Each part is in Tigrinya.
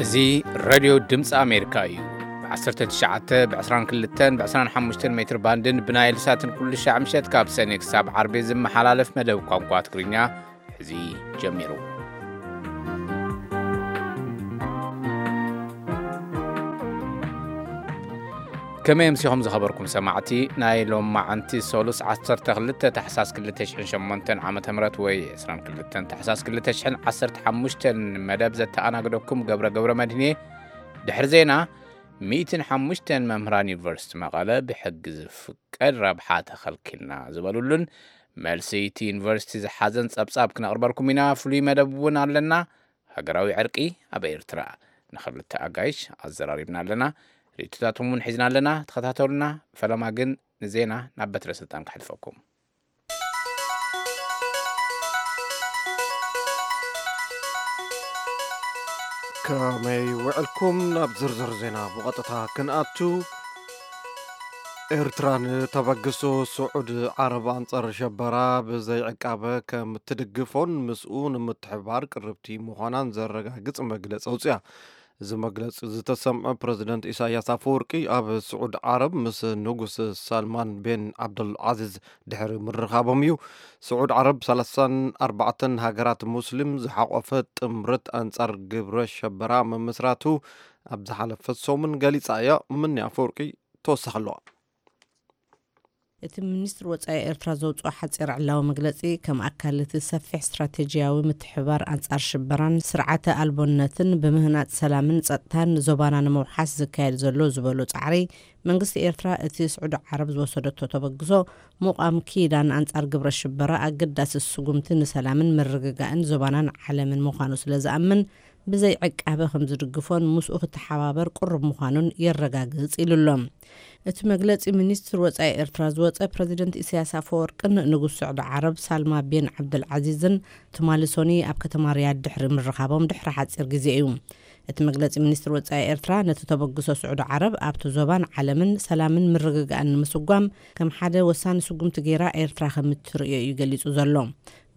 እዚ ሬድዮ ድምፂ ኣሜሪካ እዩ። ብ19፣ ብ22፣ ብ25 ሜትር ባንድን ብናይል ሳትን ኩሉ ሻዕ ምሸት ካብ ሰኔ ክሳብ ዓርቢ ዝመሓላለፍ መደብ ቋንቋ ትግርኛ ሕዚ ጀሚሩ። ከመይ ኣምሲኹም ዝኸበርኩም ሰማዕቲ? ናይ ሎማዓንቲ ሰሉስ 12 ታሕሳስ 2008 ዓመተ ምህረት ወይ 22 ታሕሳስ 2015 መደብ ዘተኣናግደኩም ገብረ ገብረ መድህኔ። ድሕሪ ዜና፣ 105 መምህራን ዩኒቨርሲቲ መቐለ ብሕጊ ዝፍቀድ ረብሓ ተኸልኪልና ዝበሉሉን መልሲ እቲ ዩኒቨርሲቲ ዝሓዘን ጸብጻብ ክነቕርበልኩም ኢና። ፍሉይ መደብ እውን ኣለና። ሃገራዊ ዕርቂ ኣብ ኤርትራ ንኽልተ ኣጋይሽ ኣዘራሪብና ኣለና። ርእይቶታቶም እውን ሒዝና ኣለና። ተኸታተሉና። ፈለማ ግን ንዜና ናብ በትረ ስልጣን ከሕልፈኩም። ከመይ ውዕልኩም? ናብ ዝርዝር ዜና ብቐጥታ ክንኣቱ። ኤርትራ ንተበግሶ ስዑድ ዓረብ ኣንጻር ሸበራ ብዘይዕቃበ ከም ትድግፎን ምስኡ ንምትሕባር ቅርብቲ ምዃናን ዘረጋግጽ መግለጺ ኣውጽያ። እዚ መግለጺ ዝተሰምዐ ፕረዚደንት ኢሳያስ ኣፈወርቂ ኣብ ስዑድ ዓረብ ምስ ንጉስ ሳልማን ቤን ዓብዱል ዓዚዝ ድሕሪ ምርኻቦም እዩ። ስዑድ ዓረብ 34 ሃገራት ሙስሊም ዝሓቖፈ ጥምረት ኣንጻር ግብረ ሸበራ ምምስራቱ ኣብ ዝሓለፈ ሰሙን ገሊጻ እያ። ምኒ ኣፈወርቂ ተወሳኺ ኣለዋ። እቲ ሚኒስትር ወጻኢ ኤርትራ ዘውጽኦ ሓጺር ዕላዊ መግለጺ፣ ከም ኣካል እቲ ሰፊሕ ስትራቴጂያዊ ምትሕብባር ኣንጻር ሽበራን ስርዓተ ኣልቦነትን ብምህናጽ ሰላምን ጸጥታን ዞባና ንምውሓስ ዝካየድ ዘሎ ዝበሎ ጻዕሪ፣ መንግስቲ ኤርትራ እቲ ስዑዲ ዓረብ ዝወሰደቶ ተበግሶ ምቋም ኪዳን ኣንጻር ግብረ ሽበራ ኣገዳሲ ስጉምቲ ንሰላምን ምርግጋእን ዞባናን ዓለምን ምዃኑ ስለ ዝኣምን፣ ብዘይ ዕቃበ ከም ዝድግፎን ምስኡ ክተሓባበር ቅሩብ ምዃኑን የረጋግጽ ኢሉ ኣሎ። እቲ መግለጺ ሚኒስትር ወጻኢ ኤርትራ ዝወጸ፣ ፕረዚደንት ኢሳያስ ኣፈወርቅን ንጉስ ስዑዲ ዓረብ ሳልማ ቤን ዓብደልዓዚዝን ትማሊ ሶኒ ኣብ ከተማ ሪያድ ድሕሪ ምርኻቦም ድሕሪ ሓጺር ግዜ እዩ። እቲ መግለጺ ሚኒስትር ወጻኢ ኤርትራ ነቲ ተበግሶ ስዑዲ ዓረብ ኣብቲ ዞባን ዓለምን ሰላምን ምርግጋእን ንምስጓም ከም ሓደ ወሳኒ ስጉምቲ ገይራ ኤርትራ ከም እትርእዮ እዩ ገሊጹ ዘሎ።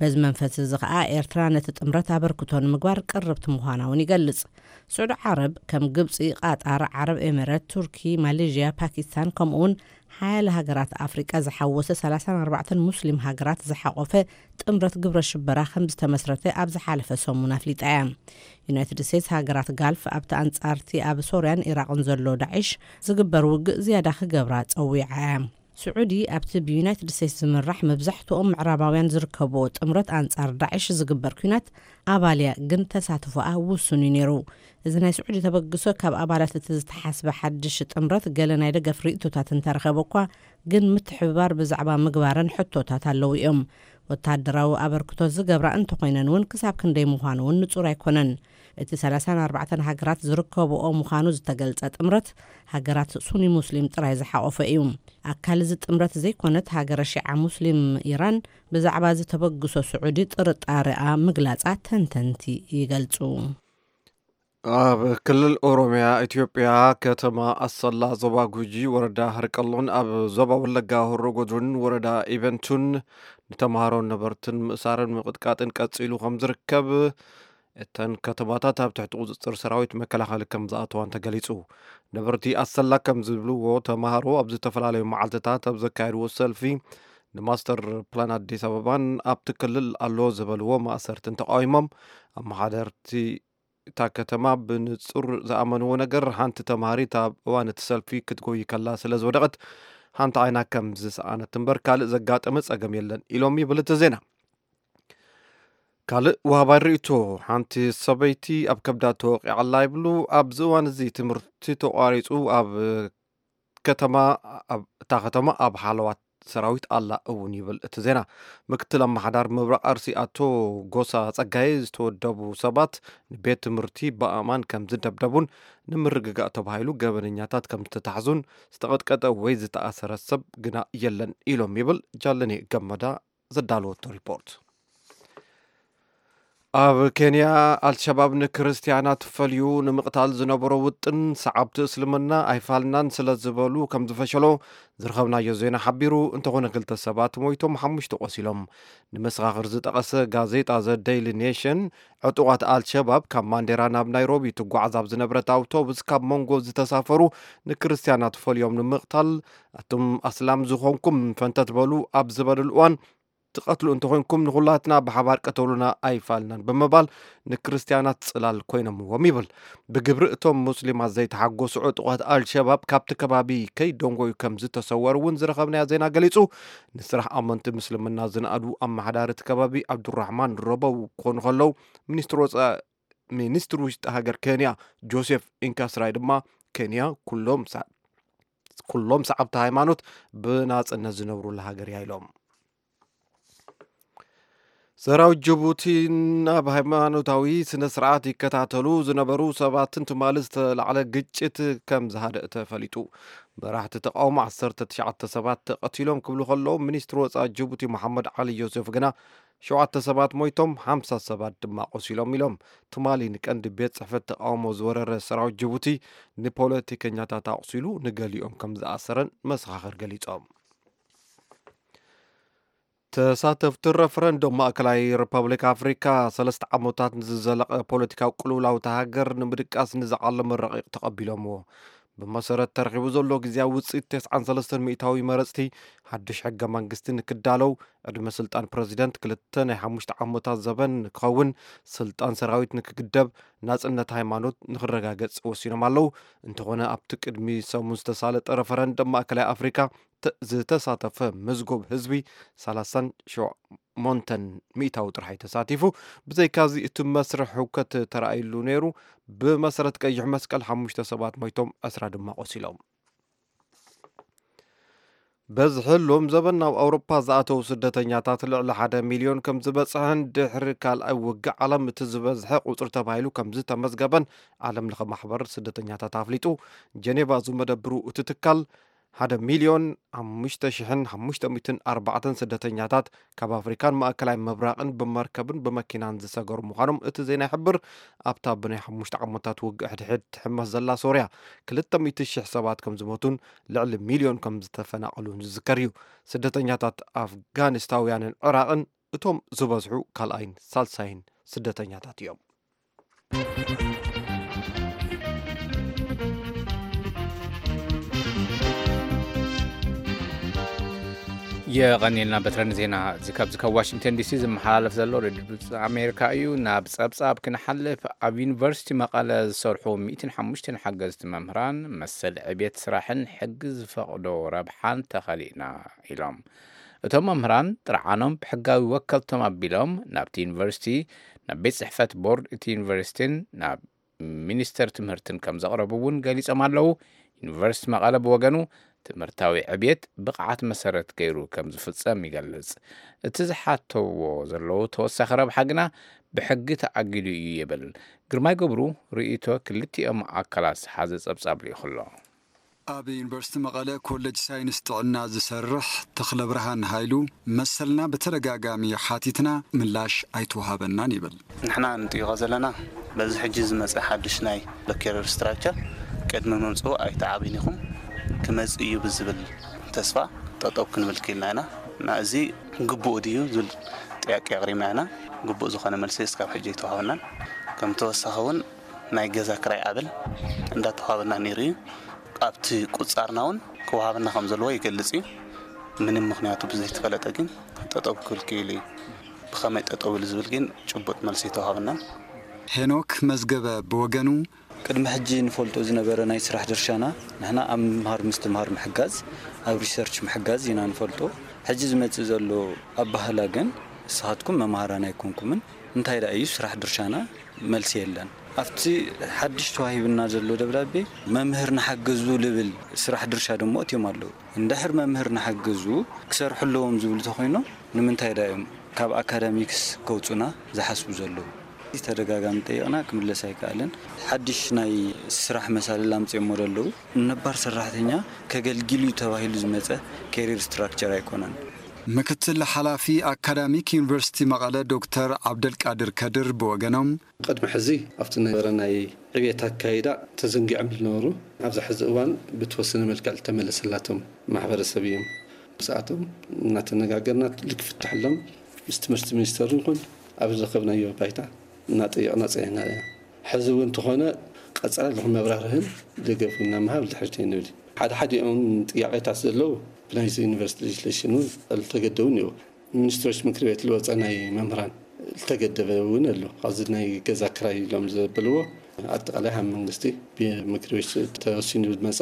በዚ መንፈስ እዚ ኸኣ ኤርትራ ነቲ ጥምረት ኣበርክቶ ንምግባር ቅርብቲ ምዃና እውን ይገልጽ። ስዑዲ ዓረብ ከም ግብጺ፣ ቃጣር፣ ዓረብ ኤሜሬት፣ ቱርኪ፣ ማሌዥያ፣ ፓኪስታን ከምኡውን ሓያለ ሃገራት ኣፍሪቃ ዝሓወሰ 34 ሙስሊም ሃገራት ዝሓቖፈ ጥምረት ግብረ ሽበራ ከም ዝተመስረተ ኣብ ዝሓለፈ ሰሙን ኣፍሊጣ እያ። ዩናይትድ ስቴትስ ሃገራት ጋልፍ ኣብቲ ኣንጻርቲ ኣብ ሶርያን ኢራቕን ዘሎ ዳዒሽ ዝግበር ውግእ ዝያዳ ክገብራ ጸዊዓ እያ። ስዑዲ ኣብቲ ብዩናይትድ ስቴትስ ዝምራሕ መብዛሕትኦም ምዕራባውያን ዝርከብዎ ጥምረት ኣንጻር ዳዒሽ ዝግበር ኲናት ኣባል እያ፣ ግን ተሳትፎኣ ውሱን እዩ ነይሩ። እዚ ናይ ስዑዲ ተበግሶ ካብ ኣባላት እቲ ዝተሓስበ ሓድሽ ጥምረት ገለ ናይ ደገፍ ርእይቶታት እንተረኸበ እኳ፣ ግን ምትሕብባር ብዛዕባ ምግባረን ሕቶታት ኣለዉ እዮም። ወታደራዊ ኣበርክቶ ዝገብራ እንተኾይነን እውን ክሳብ ክንደይ ምዃኑ እውን ንጹር ኣይኮነን። እቲ 34 ሃገራት ዝርከብኦ ምዃኑ ዝተገልጸ ጥምረት ሃገራት ሱኒ ሙስሊም ጥራይ ዝሓቖፈ እዩ። ኣካል እዚ ጥምረት ዘይኮነት ሃገረ ሺዓ ሙስሊም ኢራን ብዛዕባ እዚ ተበግሶ ስዑዲ ጥርጣሬኣ ምግላጻ ተንተንቲ ይገልጹ። ኣብ ክልል ኦሮሚያ ኢትዮጵያ፣ ከተማ ኣሰላ፣ ዞባ ጉጂ፣ ወረዳ ህርቀሎን ኣብ ዞባ ወለጋ ሆሮ ጉድሩን ወረዳ ኢቨንቱን ንተምሃሮን ነበርትን ምእሳርን ምቕጥቃጥን ቀጺሉ ከም ዝርከብ፣ እተን ከተማታት ኣብ ትሕቲ ቁጽጽር ሰራዊት መከላኸሊ ከም ዝኣተዋን ተገሊጹ። ነበርቲ ኣሰላ ከም ዝብልዎ፣ ተምሃሮ ኣብ ዝተፈላለዩ መዓልትታት ኣብ ዘካየድዎ ሰልፊ ንማስተር ፕላን ኣዲስ ኣበባን ኣብቲ ክልል ኣሎ ዝበልዎ ማእሰርትን ተቃዊሞም፣ ኣመሓደርቲ እታ ከተማ ብንጹር ዝኣመንዎ ነገር፣ ሓንቲ ተምሃሪት ኣብ እዋን እቲ ሰልፊ ክትጎይ ከላ ስለ ዝወደቐት፣ ሓንቲ ዓይና ከም ዝሰኣነት እምበር ካልእ ዘጋጠመ ጸገም የለን ኢሎም ይብል እቲ ዜና። ካልእ ወሃባይ ርእይቶ፣ ሓንቲ ሰበይቲ ኣብ ከብዳ ተወቂዓ ኣላ ይብሉ። ኣብዚ እዋን እዚ ትምህርቲ ተቋሪጹ ኣብ ከተማ፣ ኣብ እታ ከተማ ኣብ ሓለዋት ሰራዊት ኣላ እውን ይብል እቲ ዜና። ምክትል ኣመሓዳር ምብራቕ ኣርሲ ኣቶ ጎሳ ጸጋይ ዝተወደቡ ሰባት ንቤት ትምህርቲ ብኣእማን ከም ዝደብደቡን ንምርግጋእ ተባሂሉ ገበነኛታት ከም ዝተታሕዙን ዝተቐጥቀጠ ወይ ዝተኣሰረ ሰብ ግና የለን ኢሎም ይብል ጃለኔ ገመዳ ዘዳለወቶ ሪፖርት። ኣብ ኬንያ፣ ኣልሸባብ ንክርስትያናት ፈልዩ ንምቕታል ዝነበሮ ውጥን፣ ሰዓብቲ እስልምና ኣይፋልናን ስለ ዝበሉ ከም ዝፈሸሎ ዝረኸብናዮ ዜና ሓቢሩ። እንተኾነ፣ ክልተ ሰባት ሞይቶም፣ ሓሙሽተ ቆሲሎም። ንመሰኻኽር ዝጠቐሰ ጋዜጣ ዘ ዴይሊ ኔሽን፣ ዕጡቓት ኣልሸባብ ካብ ማንዴራ ናብ ናይሮቢ ትጓዓዝ ኣብ ዝነበረት ኣውቶቡስ ካብ መንጎ ዝተሳፈሩ ንክርስትያናት ፈልዮም ንምቕታል፣ ኣቱም ኣስላም ዝኾንኩም ፈንተት በሉ ኣብ ዝበለሉ እዋን፣ ትቐትሉ እንተኾይንኩም ንኹላትና ብሓባር ቅተሉና ኣይፋልናን ብምባል ንክርስትያናት ጽላል ኮይኖምዎም ይብል። ብግብሪ እቶም ሙስሊማት ዘይተሓጎሱ ዕጡቓት ኣልሸባብ ካብቲ ከባቢ ከይደንጎዩ ከም ዝተሰወሩ እውን ዝረኸብናዮ ዜና ገሊጹ። ንስራሕ ኣመንቲ ምስልምና ዝነኣዱ ኣመሓዳሪ እቲ ከባቢ ኣብዱራሕማን ረበው ክኾኑ ከለዉ፣ ሚኒስትሪ ወጻኢ፣ ሚኒስትሪ ውሽጢ ሃገር ኬንያ ጆሴፍ ኢንካስራይ ድማ፣ ኬንያ ኩሎም ሰ-፣ ኩሎም ሰዓብቲ ሃይማኖት ብናጽነት ዝነብሩላ ሃገር እያ ኢሎም። ሰራዊት ጅቡቲ ናብ ሃይማኖታዊ ስነ ስርዓት ይከታተሉ ዝነበሩ ሰባትን ትማሊ ዝተላዕለ ግጭት ከም ዝሃደእ ተፈሊጡ። መራሕቲ ተቃውሞ ዓሰርተ ትሽዓተ ሰባት ተቐቲሎም ክብሉ ከለዉ፣ ሚኒስትሪ ወጻኢ ጅቡቲ መሓመድ ዓሊ ዮሴፍ ግና፣ ሸውዓተ ሰባት ሞይቶም፣ ሓምሳ ሰባት ድማ ቆሲሎም ኢሎም። ትማሊ ንቀንዲ ቤት ጽሕፈት ተቃውሞ ዝወረረ ሰራዊት ጅቡቲ ንፖለቲከኛታት ኣቑሲሉ ንገሊኦም ከም ዝኣሰረን መሰኻኽር ገሊጾም። ተሳተፍቲ ረፈረንዶም ማእከላይ ሪፐብሊክ ኣፍሪካ፣ ሰለስተ ዓመታት ንዝዘለቐ ፖለቲካዊ ቅልውላው እታ ሃገር ንምድቃስ ንዝዓለመ ረቂቕ ተቐቢሎምዎ። ብመሰረት ተረኺቡ ዘሎ ግዜያዊ ውፅኢት፣ ተስዓን ሰለስተን ሚእታዊ መረፅቲ፣ ሓድሽ ሕገ መንግስቲ ንክዳለው፣ ዕድመ ስልጣን ፕረዚደንት ክልተ ናይ ሓሙሽተ ዓመታት ዘበን ንክኸውን፣ ስልጣን ሰራዊት ንክግደብ፣ ናፅነት ሃይማኖት ንክረጋገፅ ወሲኖም ኣለዉ። እንተኾነ፣ ኣብቲ ቅድሚ ሰሙን ዝተሳለጠ ረፈረንደም ማእከላይ ኣፍሪካ፣ ተ-፣ ዝተሳተፈ መዝጎብ ህዝቢ ሰላሳን ሸሞንተን ሚእታዊ ጥራሕ እዩ ተሳቲፉ። ብዘይካዚ፣ እቲ መስርሕ ህውከት ተራእይሉ ነይሩ። ብመሰረት ቀይሕ መስቀል፣ ሓሙሽተ ሰባት ሞይቶም፣ ዕስራ ድማ ቆሲሎም። በዝሒ ሎም ዘበን ናብ ኣውሮፓ ዝኣተዉ ስደተኛታት ልዕሊ ሓደ ሚልዮን ከም ዝበጽሐን፣ ድሕሪ ካልኣይ ውግእ ዓለም እቲ ዝበዝሐ ቁጽሪ ተባሂሉ ከም ዝተመዝገበን ዓለም ለኸ ማሕበር ስደተኛታት ኣፍሊጡ። ጀኔቫ ዝመደብሩ እቲ ትካል፣ ሓደ ሚልዮን ሓሙሽተ ሽሕን ሓሙሽተ ሚእትን ኣርባዕተን ስደተኛታት ካብ ኣፍሪካን ማእከላይ ምብራቕን ብመርከብን ብመኪናን ዝሰገሩ ምዃኖም እቲ ዜና ይሕብር። ኣብታ ብናይ ሓሙሽተ ዓመታት ውግእ ሕድሕድ ትሕመስ ዘላ ሶርያ፣ ክልተ ሚእቲ ሽሕ ሰባት ከም ዝሞቱን ልዕሊ ሚልዮን ከም ዝተፈናቐሉን ዝዝከር እዩ። ስደተኛታት ኣፍጋኒስታውያንን ዕራቕን እቶም ዝበዝሑ ካልኣይን ሳልሳይን ስደተኛታት እዮም። የቐንየልና በትረን ዜና እዚ ካብዚ ካብ ዋሽንግተን ዲሲ ዝመሓላለፍ ዘሎ ሬድዮ ድምፂ ኣሜሪካ እዩ። ናብ ጸብጻብ ክንሓልፍ፣ ኣብ ዩኒቨርሲቲ መቐለ ዝሰርሑ ሚእትን ሓሙሽተን ሓገዝቲ መምህራን መሰል ዕቤት ስራሕን ሕጊ ዝፈቕዶ ረብሓን ተኸሊእና ኢሎም። እቶም መምህራን ጥርዓኖም ብሕጋዊ ወከልቶም ኣቢሎም ናብቲ ዩኒቨርሲቲ፣ ናብ ቤት ጽሕፈት ቦርድ እቲ ዩኒቨርሲቲን ናብ ሚኒስተር ትምህርትን ከም ዘቕረቡ እውን ገሊጾም ኣለዉ። ዩኒቨርሲቲ መቐለ ብወገኑ ትምህርታዊ ዕብየት ብቕዓት መሰረት ገይሩ ከም ዝፍጸም ይገልጽ። እቲ ዝሓተዎ ዘለዉ ተወሳኺ ረብሓ ግና ብሕጊ ተኣጊዱ እዩ ይብል። ግርማይ ገብሩ ርእይቶ ክልቲኦም ኣካላት ዝሓዘ ጸብጻብ ልኢኹ ኣሎ። ኣብ ዩኒቨርሲቲ መቐለ ኮሌጅ ሳይንስ ጥዕና ዝሰርሕ ተኽለ ብርሃን ሃይሉ፣ መሰልና ብተደጋጋሚ ሓቲትና ምላሽ ኣይተዋሃበናን ይብል። ንሕና ንጥይቖ ዘለና በዚ ሕጂ ዝመጸ ሓድሽ ናይ ሎኬር ሪስትራክቸር ቅድሚ ምምጽኡ ኣይተዓብን ኢኹም፣ ክመጽእ እዩ ብዝብል ተስፋ ጠጠው ክንብል ክኢልና ኢና። እና እዚ ግቡእ ድዩ ዝብል ጥያቄ ኣቕሪብና ኢና። ግቡእ ዝኾነ መልሲ እስካብ ሕጂ ኣይተዋሃበናን። ከም ተወሳኺ እውን ናይ ገዛ ክራይ ኣበል እንዳተዋሃበና ነይሩ እዩ። ኣብቲ ቁጻርና እውን ክወሃበና ከም ዘለዎ ይገልጽ እዩ። ምንም ምኽንያቱ ብዘይተፈለጠ ግን ጠጠው ክብል ክኢሉ እዩ። ብኸመይ ጠጠው ኢሉ ዝብል ግን ጭቡጥ መልሲ ኣይተዋሃበናን። ሄኖክ መዝገበ ብወገኑ፣ ቅድሚ ሕጂ ንፈልጦ ዝነበረ ናይ ስራሕ ድርሻና፣ ንሕና ኣብ ምምሃር ምስትምሃር ምሕጋዝ፣ ኣብ ሪሰርች ምሕጋዝ ኢና ንፈልጦ። ሕጂ ዝመጽእ ዘሎ ኣባህላ ግን፣ ንስኻትኩም መምሃራን ኣይኮንኩምን፣ እንታይ ደኣ እዩ ስራሕ ድርሻና? መልሲ የለን። ኣብቲ ሓድሽ ተዋሂብና ዘሎ ደብዳቤ፣ መምህር ንሓግዙ ልብል ስራሕ ድርሻ ደሞ እትዮም ኣለዉ። እንድሕር መምህር ንሓግዙ ክሰርሑ ኣለዎም ዝብሉ ተኾይኖም፣ ንምንታይ ደኣ እዮም ካብ ኣካዳሚክስ ከውጹና ዝሓስቡ ዘለዉ? ተደጋጋሚ ጠይቕና ክምለስ ኣይከኣለን። ሓድሽ ናይ ስራሕ መሳልል ኣምጺኦሞ ደለዉ። ነባር ሰራሕተኛ ከገልግል እዩ ተባሂሉ ዝመጸ ኬሪር ስትራክቸር ኣይኮነን። ምክትል ሓላፊ ኣካዳሚክ ዩኒቨርሲቲ መቐለ ዶክተር ዓብደልቃድር ከድር ብወገኖም፣ ቅድሚ ሕዚ ኣብቲ ነበረ ናይ ዕብየት ኣካይዳ ተዘንጊዖም ዝነበሩ፣ ኣብዚ ሕዚ እዋን ብተወሰነ መልክዕ ዝተመለሰላቶም ማሕበረሰብ እዮም። ብሰዓቶም እናተነጋገርና ክፍትሐሎም ምስ ትምህርቲ ሚኒስተር ይኹን ኣብ ዝረኸብናዮ ባይታ እናጠየቕና ፀኒሕና። ሕዚ እውን እንተኾነ ቀፃሊ መብራህርህን ደገፍ እናምሃብ ድሕሪት ኣይንብል። ሓደ ሓዲኦም ጥያቄታት ዘለዉ ብናይዚ ዩኒቨርሲቲ ሌጅስሌሽን እውን ዝተገደቡ እኒኦ። ሚኒስትሮች ምክር ቤት ዝወፀ ናይ መምህራን ዝተገደበ እውን ኣሎ። ኣብዚ ናይ ገዛ ክራይ ኢሎም ዘበልዎ ኣጠቃላይ ሃብ መንግስቲ ብምክር ቤት ተወሲኑ ዝመፀ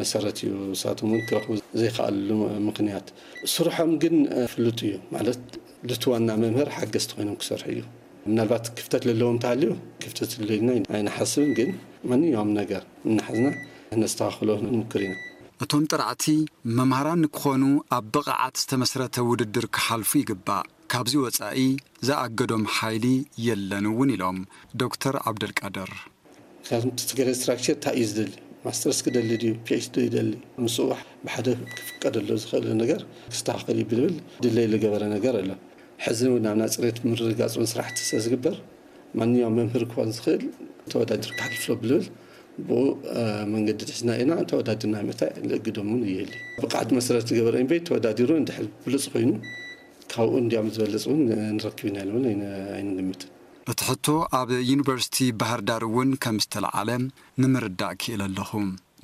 መሰረት እዩ። ንሳቶም እውን ክረኽቡ ዘይከኣልሉ ምክንያት ስርሖም ግን ፍሉጥ እዩ። ማለት ልቲ ዋና መምህር ሓገዝቲ ኮይኖም ክሰርሑ እዩ። ምናልባት ክፍተት ለለዎም ተሃልዩ ክፍተት ለና ኣይንሓስብን፣ ግን ማንኛውም ነገር እናሓዝና ነስተኻኽሎ ንሙክር ኢና። እቶም ጥራዕቲ መምሃራን ንክኾኑ ኣብ ብቕዓት ዝተመስረተ ውድድር ክሓልፉ ይግባእ። ካብዚ ወጻኢ ዝኣገዶም ሓይሊ የለን እውን ኢሎም ዶክተር ዓብደልቃድር። ካብቲ ትግራይ ስትራክቸር እንታይ እዩ ዝደሊ? ማስተርስ ክደሊ ድዩ? ፒኤችዲ ይደሊ? ምስኡ ብሓደ ክፍቀደሉ ዝኽእል ነገር ክስተኻኸል እዩ ብልብል ድለይ ዝገበረ ነገር ኣሎ። ሕዚ እውን ናብ ናፅሬት ምርግጋፅ እውን ስራሕቲ ስለ ዝግበር ማንኛውም መምህር ክኾን ዝኽእል ተወዳዲሩ ክሓልፍሎ ብልብል ብኡ መንገዲ ድሕዝና ኢና። ተወዳዲርና ምእታይ ልእግዶም እውን ይህሊ። ብቕዓት መሰረት ዝገበረ እምበይ ተወዳዲሩ እንድሕር ብሉፅ ኮይኑ ካብኡ እንዲያም ዝበልፅ እውን ንረክብ ኢና ኢሉ እውን ኣይንግምትን። እቲ ሕቶ ኣብ ዩኒቨርሲቲ ባህር ዳር እውን ከም ዝተለዓለ ንምርዳእ ክኢለ ኣለኹ።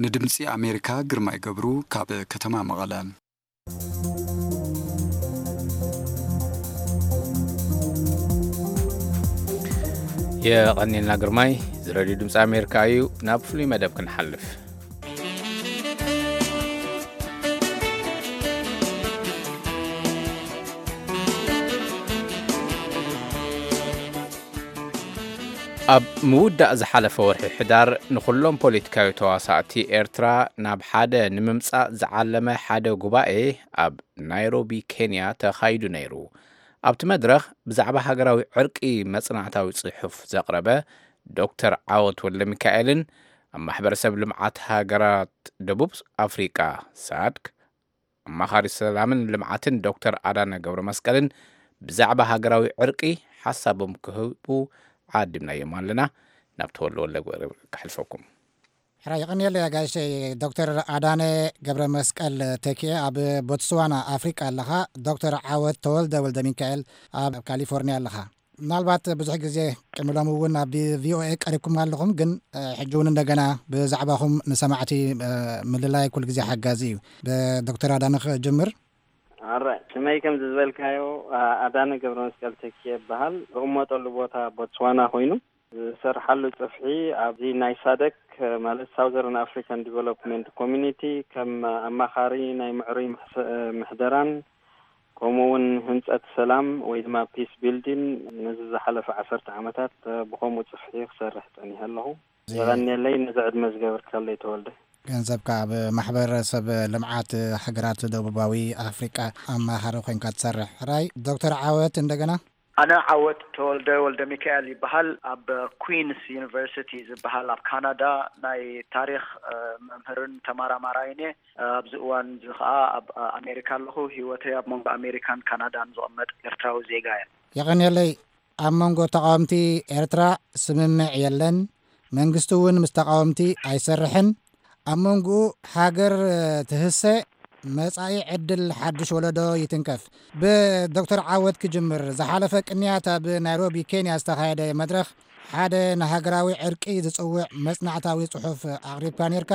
ንድምፂ ኣሜሪካ ግርማይ ገብሩ ካብ ከተማ መቐለ። የቐኒልና ግርማይ። እዚ ሬድዮ ድምፂ ኣሜሪካ እዩ። ናብ ፍሉይ መደብ ክንሓልፍ። ኣብ ምውዳእ ዝሓለፈ ወርሒ ሕዳር ንኹሎም ፖለቲካዊ ተዋሳእቲ ኤርትራ ናብ ሓደ ንምምጻእ ዝዓለመ ሓደ ጉባኤ ኣብ ናይሮቢ ኬንያ ተኻይዱ ነይሩ። ኣብቲ መድረኽ ብዛዕባ ሃገራዊ ዕርቂ መጽናዕታዊ ጽሑፍ ዘቕረበ ዶክተር ዓወት ወልደሚካኤልን ኣብ ማሕበረሰብ ልምዓት ሃገራት ደቡብ ኣፍሪቃ ሳድክ ኣማኻሪ ሰላምን ልምዓትን ዶክተር ኣዳነ ገብረ መስቀልን ብዛዕባ ሃገራዊ ዕርቂ ሓሳቦም ክህቡ ዓዲምናዮም ኣለና። ናብ ተወልደ ወልደ ገብረ ከሕልፈኩም። ሕራይ የቐንየለይ ኣጋይሸይ። ዶክተር ኣዳነ ገብረ መስቀል ተኪኤ ኣብ ቦትስዋና ኣፍሪቃ ኣለኻ። ዶክተር ዓወት ተወልደ ወልደ ሚካኤል ኣብ ካሊፎርኒያ ኣለኻ። ምናልባት ብዙሕ ግዜ ቅድሚ ሎሚ እውን ኣብ ቪኦኤ ቀሪብኩም ኣለኹም፣ ግን ሕጂ እውን እንደገና ብዛዕባኹም ንሰማዕቲ ምልላይ ኩሉ ግዜ ሓጋዚ እዩ። ብዶክተር ኣዳነ ክጅምር። ኣረ ስመይ ከምዚ ዝበልካዮ ኣዳነ ገብረ መስቀል ተኪ ይበሃል። ዝቕመጠሉ ቦታ ቦትስዋና ኮይኑ ዝሰርሓሉ ጽፍሒ ኣብዚ ናይ ሳደክ ማለት ሳውዘርን ኣፍሪካን ዲቨሎፕመንት ኮሚኒቲ ከም ኣማኻሪ ናይ ምዕሩይ ምሕደራን ከምኡ እውን ህንፀት ሰላም ወይ ድማ ፒስ ቢልዲን ነዚ ዝሓለፈ ዓሰርተ ዓመታት ብኸምኡ ጽፍሒ ክሰርሕ ጸኒሐ ኣለኹ። የቐንየለይ ነዚ ዕድመ ዝገበርካለይ ተወልደ። ገንዘብካ ኣብ ማሕበረሰብ ልምዓት ሃገራት ደቡባዊ ኣፍሪቃ ኣማኻሪ ኮይንካ ትሰርሕ። ሕራይ ዶክተር ዓወት እንደገና። ኣነ ዓወት ተወልደ ወልደ ሚካኤል ይበሃል። ኣብ ኩዊንስ ዩኒቨርሲቲ ዝበሃል ኣብ ካናዳ ናይ ታሪኽ መምህርን ተመራማራይን እየ። ኣብዚ እዋን እዚ ኸኣ ኣብ ኣሜሪካ ኣለኹ። ህይወተይ ኣብ መንጎ ኣሜሪካን ካናዳን ዝቕመጥ ኤርትራዊ ዜጋ እየ። የቐንየለይ። ኣብ መንጎ ተቓወምቲ ኤርትራ ስምምዕ የለን። መንግስቲ እውን ምስ ተቓወምቲ ኣይሰርሕን። ኣብ መንጎኡ ሃገር ትህሰ፣ መጻኢ ዕድል ሓድሽ ወለዶ ይትንከፍ። ብዶክተር ዓወት ክጅምር። ዝሓለፈ ቅንያት ኣብ ናይሮቢ ኬንያ ዝተኻየደ መድረኽ ሓደ ንሃገራዊ ዕርቂ ዝጽውዕ መጽናዕታዊ ጽሑፍ ኣቕሪብካ ነርካ።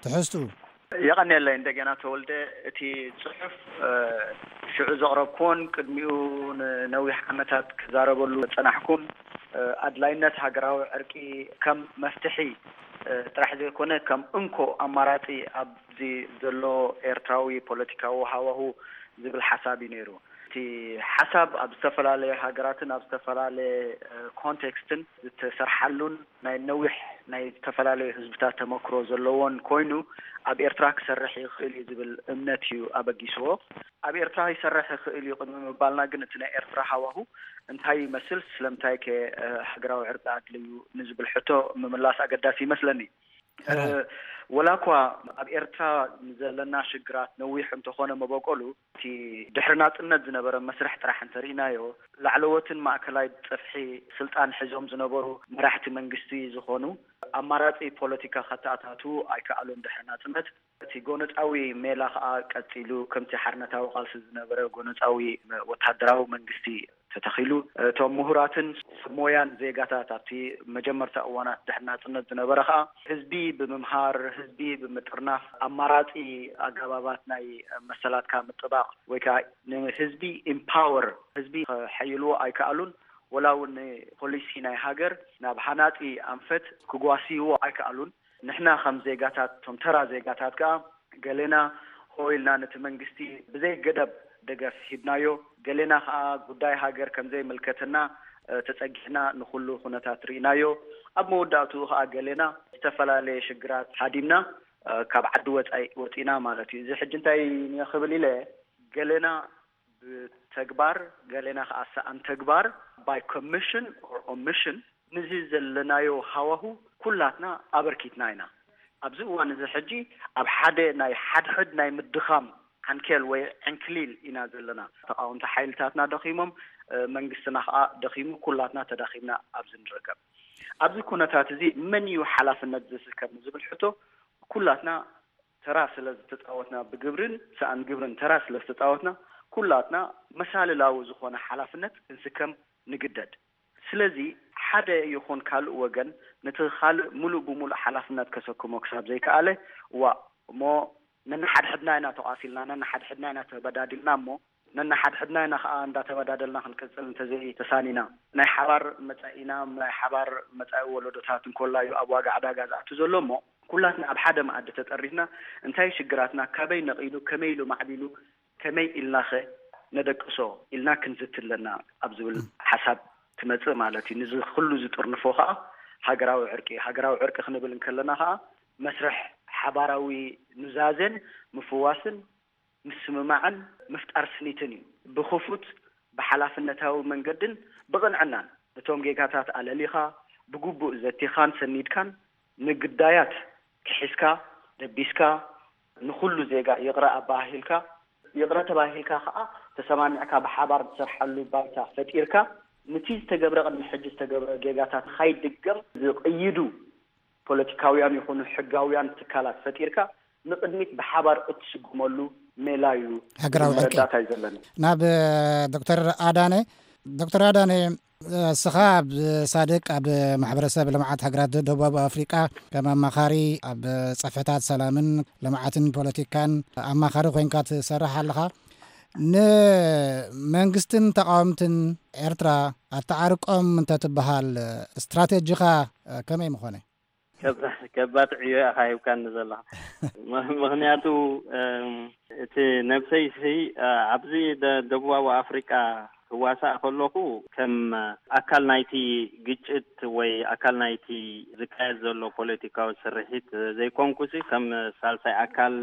ትሕዝቱ። የቐንየለይ እንደገና ተወልደ። እቲ ጽሑፍ ሽዑ ዘቕረብኩዎን ቅድሚኡ ንነዊሕ ዓመታት ክዛረበሉ ጸናሕኩን ኣድላይነት ሃገራዊ ዕርቂ ከም መፍትሒ ጥራሕ ዘይኮነ ከም እንኮ ኣማራጺ ኣብዚ ዘሎ ኤርትራዊ ፖለቲካዊ ሃዋሁ ዝብል ሓሳብ እዩ ነይሩ። እቲ ሓሳብ ኣብ ዝተፈላለየ ሃገራትን ኣብ ዝተፈላለየ ኮንቴክስትን ዝተሰርሓሉን ናይ ነዊሕ ናይ ዝተፈላለዩ ህዝብታት ተመክሮ ዘለዎን ኮይኑ ኣብ ኤርትራ ክሰርሕ ይኽእል እዩ ዝብል እምነት እዩ ኣበጊስዎ። ኣብ ኤርትራ ይሰርሕ ይኽእል እዩ ቅድሚ ምባልና ግን እቲ ናይ ኤርትራ ሃዋሁ እንታይ ይመስል፣ ስለምንታይ ከ ሃገራዊ ዕርቂ ኣድልዩ ንዝብል ሕቶ ምምላስ ኣገዳሲ ይመስለኒ። ወላ እኳ ኣብ ኤርትራ ንዘለና ሽግራት ነዊሕ እንተኾነ መበቆሉ፣ እቲ ድሕሪ ናጽነት ዝነበረ መስርሕ ጥራሕ እንተርኢናዮ፣ ላዕለዎትን ማእከላይ ጽፍሒ ስልጣን ሒዞም ዝነበሩ መራሕቲ መንግስቲ ዝኾኑ፣ ኣማራጺ ፖለቲካ ከተኣታቱ ኣይከኣሉን ድሕሪ ናጽነት። እቲ ጎነጻዊ ሜላ ከኣ ቀጺሉ፣ ከምቲ ሓርነታዊ ቃልሲ ዝነበረ ጎነጻዊ ወተሃደራዊ መንግስቲ ተተኺሉ። እቶም ምሁራትን ሰብ ሞያን ዜጋታት ኣብቲ መጀመርታ እዋናት ድሕሪ ናጽነት ዝነበረ ከኣ፣ ህዝቢ ብምምሃር፣ ህዝቢ ብምጥርናፍ፣ ኣማራጺ ኣገባባት ናይ መሰላትካ ምጥባቕ ወይ ከኣ ንህዝቢ ኢምፓወር፣ ህዝቢ ከሐይልዎ ኣይከኣሉን። ወላ እውን ፖሊሲ ናይ ሃገር ናብ ሃናጺ ኣንፈት ክጓስይዎ ኣይከኣሉን። ንሕና ከም ዜጋታት፣ እቶም ተራ ዜጋታት ከኣ፣ ገሌና ሆ ኢልና ነቲ መንግስቲ ብዘይ ገደብ ደገፍ ሂብናዮ። ገሌና ከኣ ጉዳይ ሃገር ከም ዘይምልከተና፣ እ፣ ተጸጊዕና ንኹሉ ኩነታት ርኢናዮ። ኣብ መወዳእትኡ ከኣ ገሌና ዝተፈላለየ ሽግራት ሃዲምና፣ እ፣ ካብ ዓዲ ወጻኢ ወጺና ማለት እዩ። እዚ ሕጂ እንታይ እየ ክብል ኢለ፣ ገሌና ብተግባር፣ ገሌና ከኣ ሰኣን ተግባር፣ by commission or omission፣ ንዚ ዘለናዮ ሃዋሁ ኩላትና ኣበርኪትና ኢና። ኣብዚ እዋን እዚ ሕጂ ኣብ ሓደ ናይ ሓድሕድ ናይ ምድኻም ዓንኬል ወይ ዕንክሊል ኢና ዘለና። ተቓወምቲ ሓይልታትና ደኺሞም፣ እ፣ መንግስትና ከኣ ደኺሙ፣ ኩላትና ተዳኺምና ኣብዚ ንርከብ። ኣብዚ ኩነታት እዚ መን እዩ ሓላፍነት ዝስከም ዝብል ሕቶ ኩላትና ተራ ስለ ዝተጻወትና፣ ብግብርን ሰኣን ግብርን ተራ ስለ ዝተጻወትና፣ ኩላትና መሳልላዊ ዝኾነ ሓላፍነት ክንስከም ንግደድ። ስለዚ ሓደ ይኹን ካልእ ወገን ነቲ ካልእ ምሉእ ብምሉእ ሓላፍነት ከሰክሞ ክሳብ ዘይከኣለ፣ ዋእ እሞ ነንሓድሕድና ኢና ተቋሲልና፣ ነንሓድሕድና ኢና ተበዳዲልና እሞ ነንሓድሕድና ኢና ከኣ እንዳተበዳደልና ክንቅጽል እንተዘይተሳኒና፣ ናይ ሓባር መጻኢና፣ ናይ ሓባር መጻኢ ወለዶታት እንኮላዩ ኣብ ዋጋ ዕዳጋ ዝኣቱ ዘሎ እሞ፣ ኩላትና ኣብ ሓደ መኣዲ ተጠሪፍና፣ እንታይ ሽግራትና፣ ካበይ ነቒሉ፣ ከመይ ኢሉ ማዕቢሉ፣ ከመይ ኢልናኸ ነደቅሶ ኢልና ክንዝቲ ኣለና ኣብ ዝብል ሓሳብ ትመጽእ ማለት እዩ። ንዚ ኩሉ ዝጥርንፎ ከኣ ሃገራዊ ዕርቂ፣ ሃገራዊ ዕርቂ ክንብል እንከለና ከኣ መስርሕ ሓባራዊ ኑዛዜን ምፍዋስን ምስምማዕን ምፍጣር ስኒትን እዩ። ብኽፉት፣ ብሓላፍነታዊ መንገድን ብቕንዕናን ነቶም ጌጋታት ኣለሊኻ፣ ብግቡእ ዘቲኻን ሰኒድካን፣ ንግዳያት ክሒስካ፣ ደቢስካ፣ ንኹሉ ዜጋ ይቕረ ኣበሃሂልካ፣ ይቕረ ተባሂልካ ከኣ ተሰማሚዕካ ብሓባር ትሰርሓሉ ባይታ ፈጢርካ፣ ንቲ ዝተገብረ፣ ቅድሚ ሕጂ ዝተገብረ ጌጋታት ንኻይድገም ዝቕይዱ ፖለቲካውያን ይኹኑ ሕጋውያን ትካላት ፈጢርካ ንቕድሚት ብሓባር እትስጉመሉ ሜላ እዩ። ሃገራዊ ዕርቂ። መረዳእታ እዩ ዘለኒ። ናብ ዶክተር ኣዳነ። ዶክተር ኣዳነ፣ እስኻ ኣብ ሳድቅ፣ ኣብ ማሕበረሰብ ልምዓት ሃገራት ደቡብ ኣፍሪቃ ከም ኣማኻሪ ኣብ ጸፍሕታት ሰላምን ልምዓትን ፖለቲካን ኣማኻሪ ኮይንካ ትሰርሕ ኣለኻ። ንመንግስትን ተቃወምትን ኤርትራ ኣተዓርቆም እንተትበሃል፣ ስትራቴጂኻ ከመይ ምኾነ? ከብ-፣ ከባድ ዕዮ ኢኻ ሂብካኒ ዘለኻ። ም-፣ ምኽንያቱ፣ እም፣ እቲ ነብሰይሲ፣ እ፣ ኣብዚ ደ-፣ ደቡባዊ ኣፍሪቃ ክዋሳእ ከለኹ፣ ከም ኣካል ናይቲ ግጭት ወይ ኣካል ናይቲ ዝካየድ ዘሎ ፖለቲካዊ ስርሒት ዘይኮንኩሲ፣ ከም ሳልሳይ ኣካል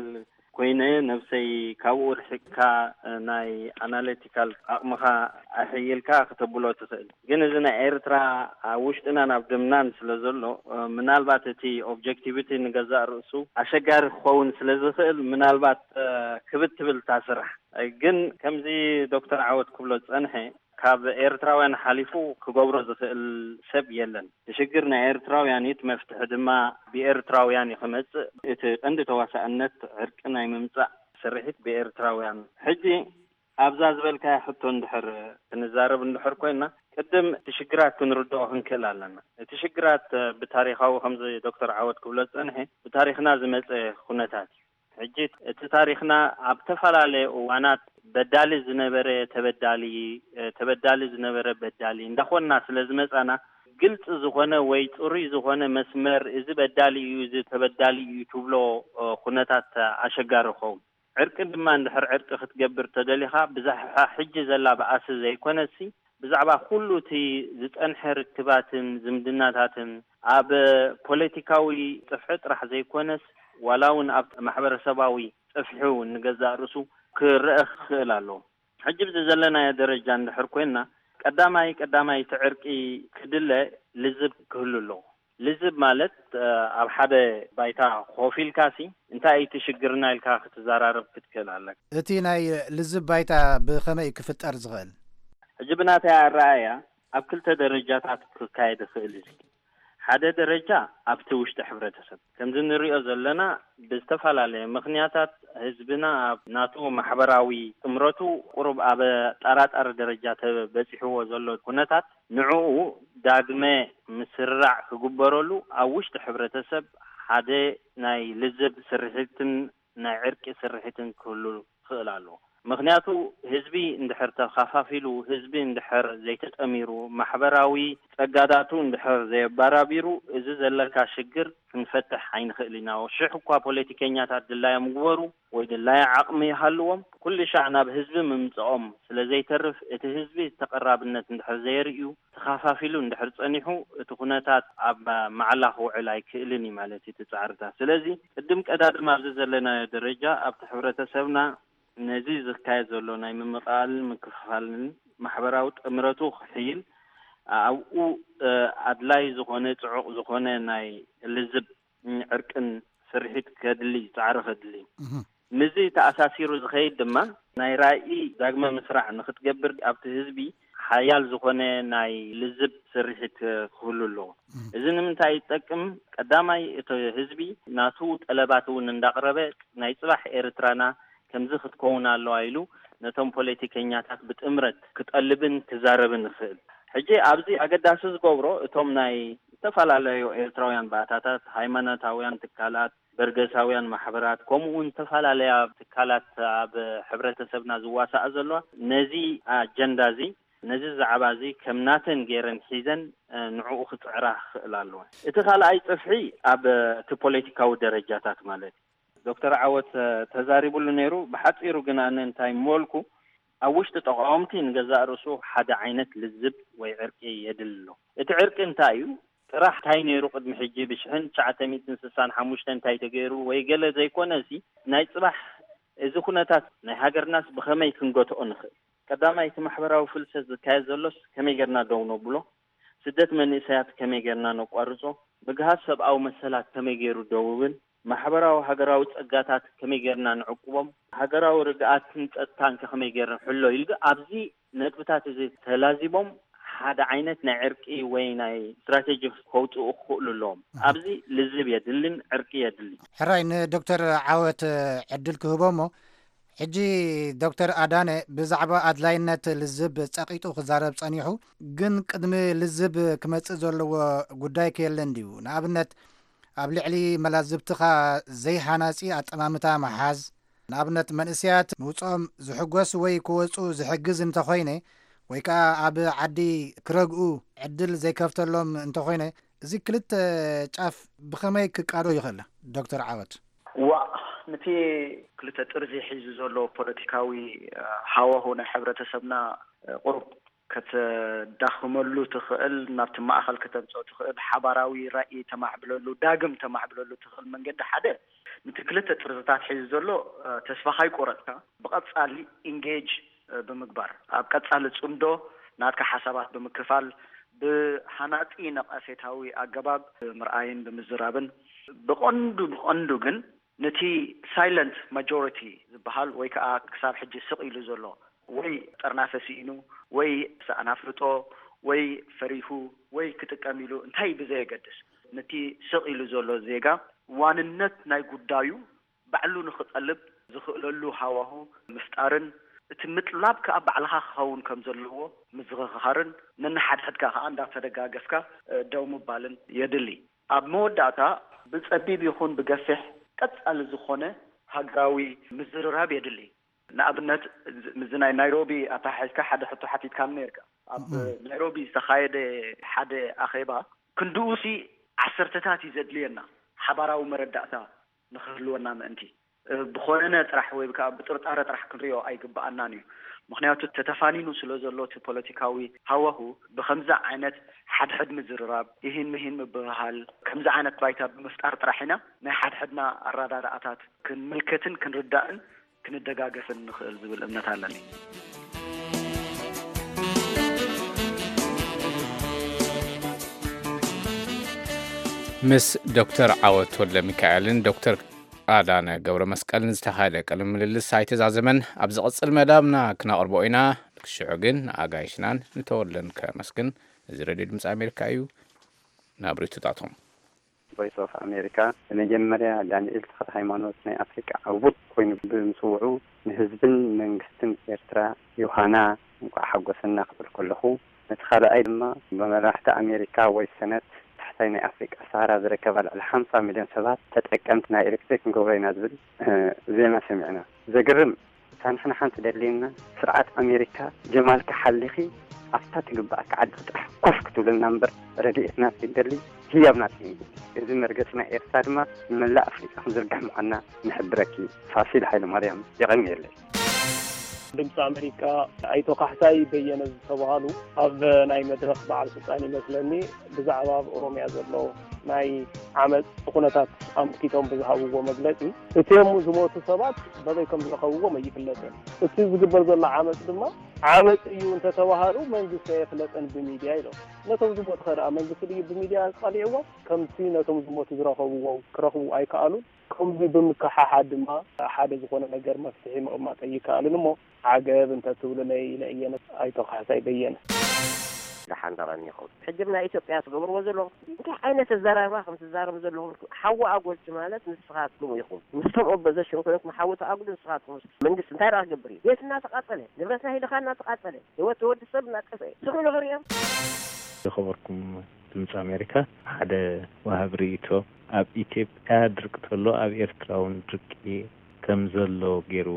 ኮይነ፣ ነብሰይ ካብኡ ርሒቅካ፣ እ፣ ናይ ኣናሊቲካል ዓቕምኻ ኣሕይልካ ክተብሎ ትኽእል። ግን እዚ ናይ ኤርትራ ኣብ ውሽጥናን ኣብ ደምናን ስለ ዘሎ፣ እ፣ ምናልባት እቲ ኦብጀክቲቪቲ ንገዛእ ርእሱ ኣሸጋሪ ክኸውን ስለ ዝኽእል፣ ምናልባት፣ እ፣ ክብድ ትብል እታ ስራሕ። እ፣ ግን ከምዚ ዶክተር ዓወት ክብሎ ዝጸንሐ፣ ካብ ኤርትራውያን ሓሊፉ ክገብሮ ዝኽእል ሰብ የለን። እቲ ሽግር ናይ ኤርትራውያን እዩ፣ እቲ መፍትሒ ድማ ብኤርትራውያን እዩ ክመጽእ። እቲ ቀንዲ ተዋሳእነት ዕርቂ ናይ ምምጻእ ስርሒት ብኤርትራውያን። ሕጂ ኣብዛ ዝበልካያ ሕቶ እንድሕር ክንዛረብ እንድሕር ኮይና፣ ቅድም እቲ ሽግራት ክንርድኦ ክንክእል ኣለና። እቲ ሽግራት ብታሪኻዊ፣ ከምዚ ዶክተር ዓወት ክብሎ ዝጸንሐ፣ ብታሪኽና ዝመጸ ኩነታት እዩ። ሕጂ እቲ ታሪኽና ኣብ ዝተፈላለየ እዋናት በዳሊ ዝነበረ ተበዳሊ፣ ተበዳሊ ዝነበረ በዳሊ እንዳኾንና ስለ ዝመጻና፣ ግልጺ ዝኾነ ወይ ጽሩይ ዝኾነ መስመር፣ እዚ በዳሊ እዩ፣ እዚ ተበዳሊ እዩ ትብሎ ኩነታት ኣሸጋሪ ይኸውን። ዕርቂ ድማ እንድሕር ዕርቂ ክትገብር ተደሊኻ፣ ብዛዕባ ሕጂ ዘላ ባእሲ ዘይኮነሲ፣ ብዛዕባ ኩሉ እቲ ዝጸንሐ ርክባትን ዝምድናታትን፣ ኣብ ፖለቲካዊ ጽፍሒ ጥራሕ ዘይኮነስ፣ ዋላ እውን ኣብ ማሕበረሰባዊ ጽፍሒ እውን ንገዛእ ርእሱ ክረአ ክኽእል ኣለዎ። ሕጂ ብዚ ዘለናዮ ደረጃ እንድሕር ኮይንና፣ ቀዳማይ ቀዳማይ እቲ ዕርቂ ክድለ ልዝብ ክህሉ ኣለዎ። ልዝብ ማለት ኣብ ሓደ ባይታ ኮፍ ኢልካሲ እንታይ እዩ እቲ ሽግርና ኢልካ ክትዘራረብ ክትክእል ኣለካ። እቲ ናይ ልዝብ ባይታ ብኸመይ ክፍጠር ዝኽእል? ሕጂ ብናተይ ኣረኣእያ ኣብ ክልተ ደረጃታት ክካየድ ይኽእል እዩ። ሓደ ደረጃ ኣብቲ ውሽጢ ሕብረተሰብ ከምዚ ንሪኦ ዘለና ብዝተፈላለየ ምኽንያታት ህዝብና ኣብ ናቱ ማሕበራዊ ጥምረቱ ቁሩብ ኣብ ኣጠራጣሪ ደረጃ ተበፂሕዎ ዘሎ ኩነታት ንዕኡ ዳግመ ምስርራዕ ክግበረሉ ኣብ ውሽጢ ሕብረተሰብ ሓደ ናይ ልዝብ ስርሒትን ናይ ዕርቂ ስርሒትን ክህሉ ክኽእል ኣለዎ። ምኽንያቱ ህዝቢ እንድሕር ተኻፋፊሉ፣ ህዝቢ እንድሕር ዘይተጠሚሩ፣ ማሕበራዊ ጸጋታቱ እንድሕር ዘየባራቢሩ እዚ ዘለካ ሽግር ክንፈትሕ ኣይንኽእል ኢና። ሽሕ እኳ ፖለቲከኛታት ድላዮም ግበሩ ወይ ድላየ ዓቕሚ ይሃልዎም፣ ኩሉ ሻዕ ናብ ህዝቢ ምምጽኦም ስለ ዘይተርፍ እቲ ህዝቢ ተቐራብነት እንድሕር ዘየርእዩ ተኻፋፊሉ እንድሕር ጸኒሑ እቲ ኩነታት ኣብ ማዕላ ክውዕል ኣይክእልን እዩ ማለት እዩ እቲ ጻዕርታት። ስለዚ ቅድም ቀዳድም ኣብዚ ዘለናዮ ደረጃ ኣብቲ ሕብረተሰብና ነዚ ዝካየድ ዘሎ ናይ ምምቕቓልን ምክፍፋልን ማሕበራዊ ጥምረቱ ክሕይል ኣብኡ ኣድላይ ዝኾነ ጽዑቕ ዝኾነ ናይ ልዝብ ዕርቅን ስርሒት ከድሊ ጻዕሪ ከድሊ እዩ። ምስዚ ተኣሳሲሩ ዝኸይድ ድማ ናይ ራኢ ዳግመ ምስራዕ ንክትገብር ኣብቲ ህዝቢ ሓያል ዝኾነ ናይ ልዝብ ስርሒት ክህሉ ኣለዎ። እዚ ንምንታይ ይጠቅም? ቀዳማይ እቲ ህዝቢ ናቱ ጠለባት እውን እንዳቕረበ ናይ ጽባሕ ኤርትራና ከምዚ ክትከውን ኣለዋ ኢሉ ነቶም ፖለቲከኛታት ብጥምረት ክጠልብን ክዛረብን ይኽእል። ሕጂ ኣብዚ ኣገዳሲ ዝገብሮ እቶም ናይ ዝተፈላለዩ ኤርትራውያን ባእታታት፣ ሃይማኖታውያን ትካላት፣ በርገሳውያን ማሕበራት፣ ከምኡ እውን ዝተፈላለያ ትካላት ኣብ ሕብረተሰብና ዝዋሳኣ ዘለዋ ነዚ ኣጀንዳ እዚ ነዚ ዛዕባ እዚ ከም ናተን ገይረን ሒዘን ንዕኡ ክፅዕራ ክኽእል ኣለወን። እቲ ካልኣይ ፅፍሒ ኣብ እቲ ፖለቲካዊ ደረጃታት ማለት እዩ። ዶክተር ዓወት ተዛሪቡሉ ነይሩ። ብሓፂሩ ግን ኣነ እንታይ ምበልኩ፣ ኣብ ውሽጢ ተቃወምቲ ንገዛእ ርእሱ ሓደ ዓይነት ልዝብ ወይ ዕርቂ የድሊ ኣሎ። እቲ ዕርቂ እንታይ እዩ? ጥራሕ እንታይ ነይሩ ቅድሚ ሕጂ ብሽሕን ትሽዓተ ሚእትን ስሳን ሓሙሽተን እንታይ ተገይሩ ወይ ገለ ዘይኮነ ሲ ናይ ፅባሕ እዚ ኩነታት ናይ ሃገርናስ ብኸመይ ክንገትኦ ንኽእል? ቀዳማይ እቲ ማሕበራዊ ፍልሰት ዝካየድ ዘሎስ ከመይ ጌርና ደው ነብሎ? ስደት መንእሰያት ከመይ ጌርና ነቋርጾ? ምግሃስ ሰብኣዊ መሰላት ከመይ ጌሩ ደው ይብል? ማሕበራዊ ሃገራዊ ጸጋታት ከመይ ጌርና ንዕቅቦም? ሃገራዊ ርግኣትን ጸጥታን ከ ከመይ ጌርና ንሕሎ? ኢሉ ኣብዚ ነጥብታት እዚ ተላዚቦም ሓደ ዓይነት ናይ ዕርቂ ወይ ናይ ስትራቴጂ ከውጽኡ ክኽእሉ ኣለዎም። ኣብዚ ልዝብ የድልን ዕርቂ የድልን። ሕራይ ንዶክተር ዓወት ዕድል ክህቦ እሞ ሕጂ ዶክተር ኣዳነ ብዛዕባ ኣድላይነት ልዝብ ጸቒጡ ክዛረብ ጸኒሑ፣ ግን ቅድሚ ልዝብ ክመጽእ ዘለዎ ጉዳይ ከየለ እንድዩ። ንኣብነት ኣብ ልዕሊ መላዝብትኻ ዘይሃናጺ ኣጠማምታ ምሓዝ፣ ንኣብነት መንእሰያት ምውጽኦም ዝሕጎስ ወይ ክወጹ ዝሕግዝ እንተኾይነ ወይ ከኣ ኣብ ዓዲ ክረግኡ ዕድል ዘይከፍተሎም እንተኾይነ እዚ ክልተ ጫፍ ብኸመይ ክቃዶ ይኽእል ዶክተር ዓወት? ዋእ ንቲ ክልተ ጥርዚ ሒዙ ዘሎ ፖለቲካዊ ሃዋሁ ናይ ሕብረተሰብና ቁሩብ ከተዳኽመሉ ትኽእል፣ ናብቲ ማእኸል ከተምፅኦ ትኽእል፣ ሓባራዊ ራእይ ተማዕብለሉ፣ ዳግም ተማዕብለሉ ትኽእል መንገዲ ሓደ ንቲ ክልተ ጥርዝታት ሒዙ ዘሎ ተስፋ ካይቆረፅካ ብቐፃሊ ኢንጌጅ ብምግባር ኣብ ቀፃሊ ፅምዶ ናትካ ሓሳባት ብምክፋል ብሃናፂ ነቐፌታዊ ኣገባብ ብምርኣይን ብምዝራብን ብቐንዱ ብቐንዱ ግን ነቲ ሳይለንት ማጆሪቲ ዝበሃል ወይ ከዓ ክሳብ ሕጂ ስቕ ኢሉ ዘሎ ወይ ጠርናፈ ስኢኑ ወይ ሰኣን ኣፍልጦ ወይ ፈሪሁ ወይ ክጥቀም ኢሉ እንታይ ብዘየገድስ ነቲ ስቕ ኢሉ ዘሎ ዜጋ ዋንነት ናይ ጉዳዩ ባዕሉ ንኽጠልብ ዝኽእለሉ ሃዋሁ ምፍጣርን እቲ ምጥላብ ከዓ ባዕልኻ ክኸውን ከም ዘለዎ ምዝኽኻርን ነንሓድሕድካ ከዓ እንዳተደጋገፍካ ደው ምባልን የድሊ። ኣብ መወዳእታ ብጸቢብ ይኹን ብገፊሕ ቀጻሊ ዝኾነ ሃገራዊ ምዝርራብ የድሊ። ንኣብነት ምስዚ ናይ ናይሮቢ ኣተሓሒዝካ ሓደ ሕቶ ሓቲትካኒ ነርካ። ኣብ ናይሮቢ ዝተኻየደ ሓደ ኣኼባ ክንድኡሲ ዓሰርተታት እዩ ዘድልየና ሓባራዊ መረዳእታ ንኽህልወና ምእንቲ ብኾነነ ጥራሕ ወይ ከዓ ብጥርጣረ ጥራሕ ክንሪኦ ኣይግብኣናን እዩ። ምኽንያቱ ተተፋኒኑ ስለ ዘሎ እቲ ፖለቲካዊ ሃዋሁ ብኸምዚ ዓይነት ሓድሕድ ምዝርራብ፣ ኢሂን ምሂን ምብህሃል፣ ከምዚ ዓይነት ባይታ ብምፍጣር ጥራሕ ኢና ናይ ሓድሕድና ኣረዳድኣታት ክንምልከትን ክንርዳእን ክንደጋገፍን ንኽእል ዝብል እምነት ኣለኒ። ምስ ዶክተር ዓወት ወልደ ሚካኤልን ዶክተር ኣዳነ ገብረ መስቀልን ዝተኻየደ ቃለ ምልልስ ኣይተዛዘመን። ኣብ ዝቕጽል መዳብና ክነቕርቦ ኢና። ክሽዑ ግን ንኣጋይሽናን ንተወልደን ከመስግን። እዚ ሬድዮ ድምፂ ኣሜሪካ እዩ። ናብ ርእይቶታቶም። ቮይስ ኦፍ ኣሜሪካ ብመጀመርያ ዳንኤል ተኽለ ሃይማኖት ናይ ኣፍሪቃ ዕዉት ኮይኑ ብምስውዑ ንህዝብን መንግስትን ኤርትራ ዮሃና እንቋዕ ሓጎሰና ክብል ከለኹ፣ ነቲ ካልኣይ ድማ ብመራሕቲ ኣሜሪካ ወይ ሰነት ታሕታይ ናይ ኣፍሪቃ ሰሃራ ዝርከባ ልዕሊ ሓምሳ ሚልዮን ሰባት ተጠቀምቲ ናይ ኤሌክትሪክ ክንገብሮ ኢና ዝብል ዜና ሰሚዕና። ዘግርም እታ ንሕና ሓንቲ ደልየና ስርዓት ኣሜሪካ ጀማልካ ሓሊኺ ኣብታ ትግባኣካ ዓዲ ጥራሕ ኮፍ ክትብለና እምበር ረድኤትና ዘይንደሊ ህያብና ዘይንደሊ። እዚ መርገፂ ናይ ኤርትራ ድማ ንመላእ ኣፍሪቃ ክንዝርግሕ ምዃንና ንሕብረኪ። ፋሲል ሃይለማርያም። የቐንየለይ። ድምፂ ኣሜሪካ። ኣይቶ ካሕሳይ በየነ ዝተባሃሉ ኣብ ናይ መድረኽ በዓል ስልጣን ይመስለኒ ብዛዕባ ኣብ ኦሮምያ ዘሎ ናይ ዓመፅ ኩነታት ኣምልኪቶም ብዝሃብዎ መግለፂ፣ እቲኦም ዝሞቱ ሰባት በበይ ከም ዝረኸብዎም ኣይፍለጥን። እቲ ዝግበር ዘሎ ዓመፅ ድማ ዓመፅ እዩ እንተተባሃሉ መንግስቲ ኣየፍለጠን ብሚድያ ኢሎም። ነቶም ዝሞቱ ከ ደኣ መንግስቲ ድዩ ብሚድያ ኣቃሊዕዎም? ከምቲ ነቶም ዝሞቱ ዝረኸብዎም ክረኽቡ ኣይከኣሉን። ከምዚ ብምክሕሓድ ድማ ሓደ ዝኾነ ነገር መፍትሒ ምቕማጥ ኣይከኣልን እሞ ዓገብ እንተትብሉለይ ኢለ እየ። ኣይቶ ካሕሳይ በየነ። ደሓን ደቐኒኹም። ሕጂ ኣብ ናይ ኢትዮጵያ ትገብርዎ ዘለኹም እንታይ ዓይነት ኣዘራርባ ከም ትዛረቡ ዘለኹም ሓዊ ኣጎልቲ ማለት ንስኻትኩም ኢኹም። ምስቶም ኦፖዘሽን ኮይንኩም ሓዊ ተኣጉሉ ንስኻትኩም። መንግስቲ እንታይ ደኣ ክገብር እዩ? ቤትና ተቓጸለ፣ ንብረትና ሂልኻ እናተቓጸለ፣ ህይወት ወዲ ሰብ እናጠፍአ ስኹም ንኽርእዮም። ዝኸበርኩም ድምፂ ኣሜሪካ፣ ሓደ ወሃቢ ርእይቶ፣ ኣብ ኢትዮጵያ ድርቂ ተሎ ኣብ ኤርትራ እውን ድርቂ ከም ዘሎ ገይሩ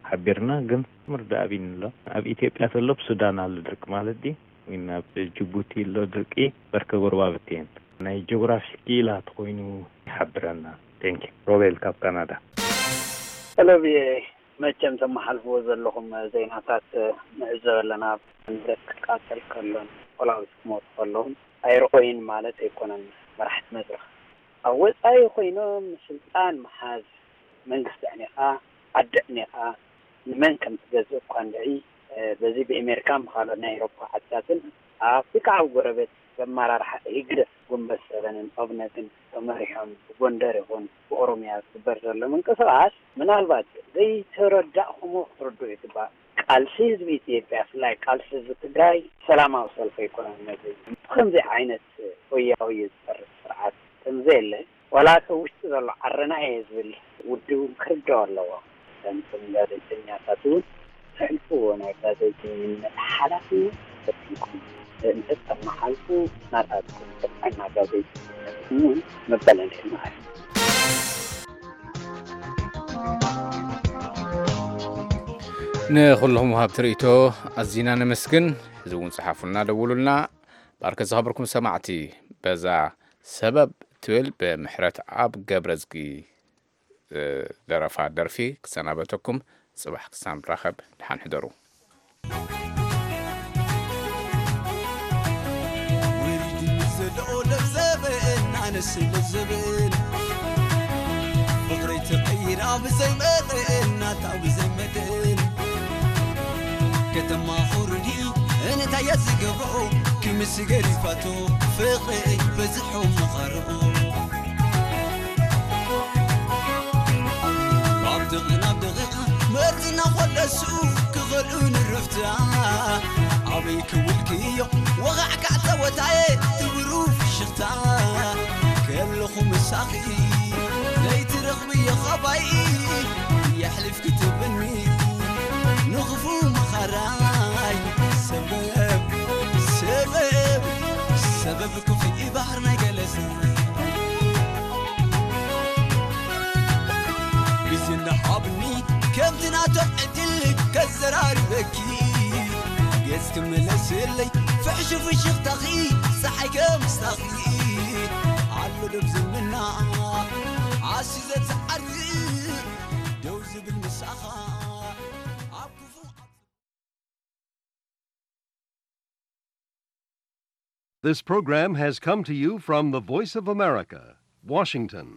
ሓቢርና፣ ግን ምርዳእ ኣብይኒ ኣሎ። ኣብ ኢትዮጵያ ተሎ ኣብ ሱዳን ኣሎ ድርቂ ማለት ድዩ? ወይ ኣብ ጅቡቲ ኣሎ ድርቂ? በርከ ጎረባብቲ እየን። ናይ ጂኦግራፊ ክኢላ ተኾይኑ ይሓብረና። ቴንኪ። ሮቤል ካብ ካናዳ። ሰለብየ፣ መቸም ተመሓልፍዎ ዘለኹም ዜናታት ንዕዘብ ኣለና። ንብረት ክቃጸል ከሎን ቆላውቲ ክሞቱ ከለውን ኣይርኦይን ማለት ኣይኮነን። መራሕቲ መድረኽ ኣብ ወጻኢ ኮይኖም ስልጣን ምሓዝ፣ መንግስቲ ኣዕኒኻ፣ ዓዲ ኣዕኒኻ፣ ንመን ከም ትገዝእ እኳ እንድዒ፣ እ፣ በዚ ብኤሜሪካን ብኻልኦት ናይ ኤውሮፓ ዓድታትን ኣብ ኣፍሪካ ኣብ ጎረቤት በመራርሓ ህግደፍ፣ ጉንበት ሰበንን ኦብነግን ተመሪሖም ብጎንደር ይኹን ብኦሮምያ ዝግበር ዘሎ ምንቅስቓስ ምናልባት ዘይተረዳእኹሞ ክትርድኡ ይግባእ። ቃልሲ ህዝቢ ኢትዮጵያ፣ ብፍላይ ቃልሲ ህዝቢ ትግራይ ሰላማዊ ሰልፊ ኣይኮነን። ነዚ ብኸምዚ ዓይነት ሆያ ሆየ ዝፈርስ ስርዓት ከምዘየለ ዋላ እቲ ውሽጢ ዘሎ ዓረና እየ ዝብል ውድብ እውን ክርድኦ ኣለዎ። ከምቶም ጋዜጠኛታት እውን ተሕልፍዎ ናይ ጋዜጠኝነት ሓላፍነት ተሰኪምኩም እንተተመሓልፉ ናታትኩም ጥዕና ጋዜጠኝነት እውን መበለል የማዕብል። ንኹልኹም ወሃብቲ ርእይቶ ኣዚና ነመስግን። ሕዚ እውን ጸሓፉልና፣ ደውሉልና። ባርከ ዝኸበርኩም ሰማዕቲ፣ በዛ ሰበብ ትብል ብምሕረት ኣብ ገብረዝጊ ዝደረፋ ደርፊ ክሰናበተኩም። ጽባሕ ክሳብ ንራኸብ፣ ደሓን ሕደሩ። ወሪድኒ ዘሎ ለብዘበ እናነስ ለዘበን ፍቕረይ ተቐይራ ብዘይ መጠን ናታ ብዘይ መጠን ከተማ ኹርዲ እንታይ እየ ዝገብሮ ክምስ ገሪፋቶ ፍቕረይ በዝሑ ምቐርኦ ካብ ደቒቕ ናብ ደቒቕ መርዝና ኾለሱ ክኸልኡ ንርፍታ ኣበይ ክውልክዮ ወቓዕካዕ ጸወታየ ትብሩ ፍሽኽታ ከለኹ ምሳኺ ዘይትረኽብዮ ኻባይ የሕሊፍ ክትብኒ ንኽፉ መኻራይ ሰበብ ሰበብ ሰበብ ክፉ እዩ ባህር ናይ ገለሰ ግዜ እንዳሃብኒ ከምቲ ናቶም ዕድል ከዘራርበኪ ገጽ ክምለስለይ ፍሕሹ ፍሽኽታኺ ፀሓይ ከምስታኺ ኣሎ ደብ ዝምና ዓሲ ዘትዓርፍ ደው ዝብል ምሳኻ ኣብ ክፉ This program has come to you from the Voice of America, Washington.